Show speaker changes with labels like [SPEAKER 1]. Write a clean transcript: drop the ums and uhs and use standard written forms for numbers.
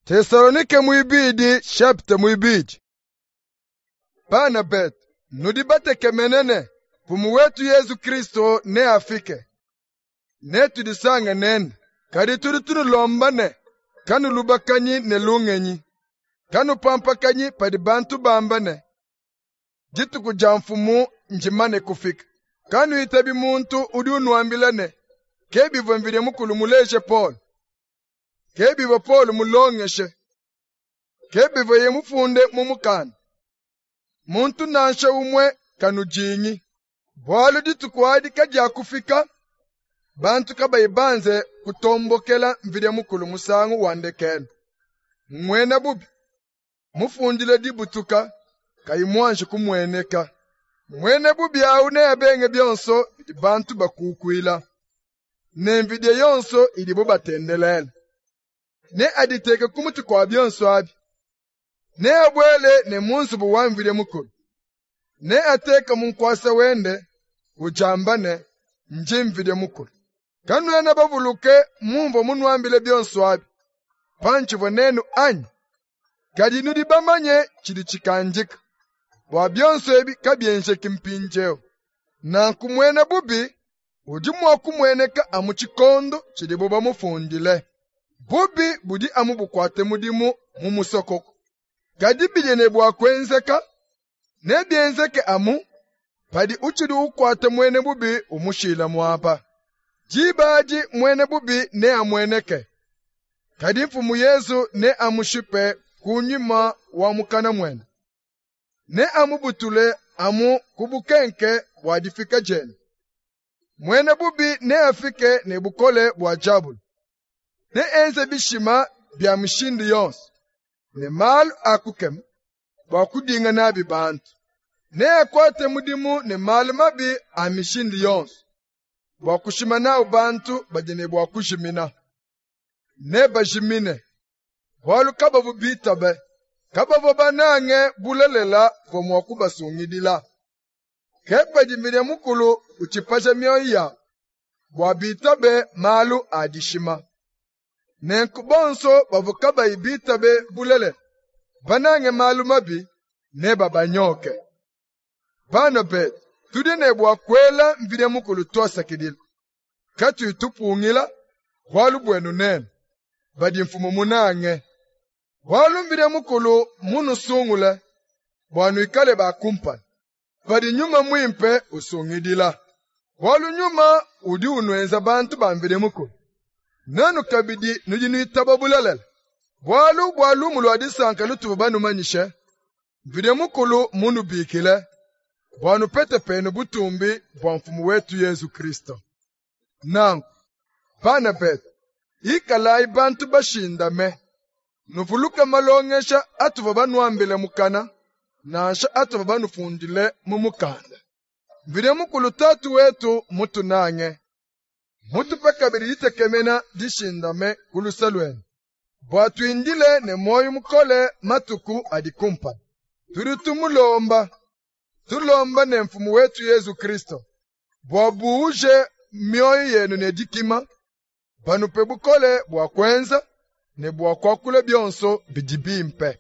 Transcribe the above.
[SPEAKER 1] Tesalonike muibidi chapitre muibidi. Bana betu, nudi batekemene ne Mfumu wetu Yezu Kristo neafike, netudisange nende. Kadi tudi tunulomba ne kanulubakanyi ne lungenyi, kanupampakanyi padi bantu bamba ne dituku dia Mfumu ndimane kufika. Kanuitabi muntu udi unuambila ne ke bivua Mvidi Mukulu muleje Paulo, ke bivua Paulo mulongeshe, ke bivuaye mufunde mu mukanda. Muntu nansha umue kanudingi, bualu dituku adi kadiakufika bantu kabayi banze kutombokela Mvidi Mukulu musangu wa ndekelu. Muena bubi mufundile dibutuka kayi muanji kumueneka. Muena bubi awu neabenge bionso bidi bantu bakukuila, ne mvidie yonso idibo batendelela. Neaditeke ku mutu kua bionso abi. Neabuele ne mu nzubu wa Mvidi Mukulu. Neateke mu nkuasa wende udiamba ne, ndi Mvidi Mukulu. Kanuena bavuluke mumvua munuambile bionso abi pantshivua nenu anyi? Kadi nudi bamanye tshidi tshikandika bua bionso ebi kabienzeki mpindieu. Nanku muena bubi udi mua kumueneka amu tshikondo tshidibo bamufundile. Bubi budi amu bukuate mudimu mu musokoko. Kadi bidi ne bua kuenzeka, nebienzeke amu padi utshidi ukuata muena bubi umushila muaba. Diba adi muena bubi neamueneke, kadi Mfumu Yezu neamushipe ku nyima wa mukana muende. Neamubutule amu ku bukenke bua difika diende. Muena bubi neafike ne bukole bua diabolo. Neenze bishima bia mishindu yonso ne malu a kukema bua kudinga nabi bantu. Neakuate mudimu ne malu mabi a mishindu yonso bua kushima nawu bantu badi ne bua kujimina. Nebajimine, bualu kabavua bitabe, kabavua banange bulelela buvua mua kubasungidila. Ke padi Mvidi Mukulu utshipaja mioyo yabu bua bitabe malu a dishima. Nenku bonso bavua kabayi bitabe bulelela, banange malu mabi, nebabanyoke. Bana betu, tudi ne bua kuela Mvidi Mukulu tuasakidila, katuyi tupungila bualu buenu nenu, badi Mfumu munange. Bualu Mvidi Mukulu munusungule bua nuikale ba kumpala, padi Nyuma Muimpe usungidila. Bualu Nyuma udi unuenza bantu ba Mvidi Mukulu. Nenu kabidi nudi nuitaba bulelela, bualu bua lumu lua disanka lutuvua banumanyishe, Mvidi Mukulu munubikile bua nupete penu butumbi bua Mfumu wetu Yezu Kristo. Nanku, bana betu, ikalayi bantu bashindame, nuvuluke malongesha atuvua banuambile mukana, nansha atuvua banufundile mu mukanda. Mvidi Mukulu Tatu wetu mutunange, mutupe kabidi ditekemena dishindame ku luse luende, bua tuindile ne muoyo mukole matuku adi kumpala. Tudi tumulomba, tulomba ne Mfumu wetu Yezu Kristo, bua buuje mioyo yenu ne dikima, banupe bukole bua kuenza ne bua kuakula bionso bidi bimpe.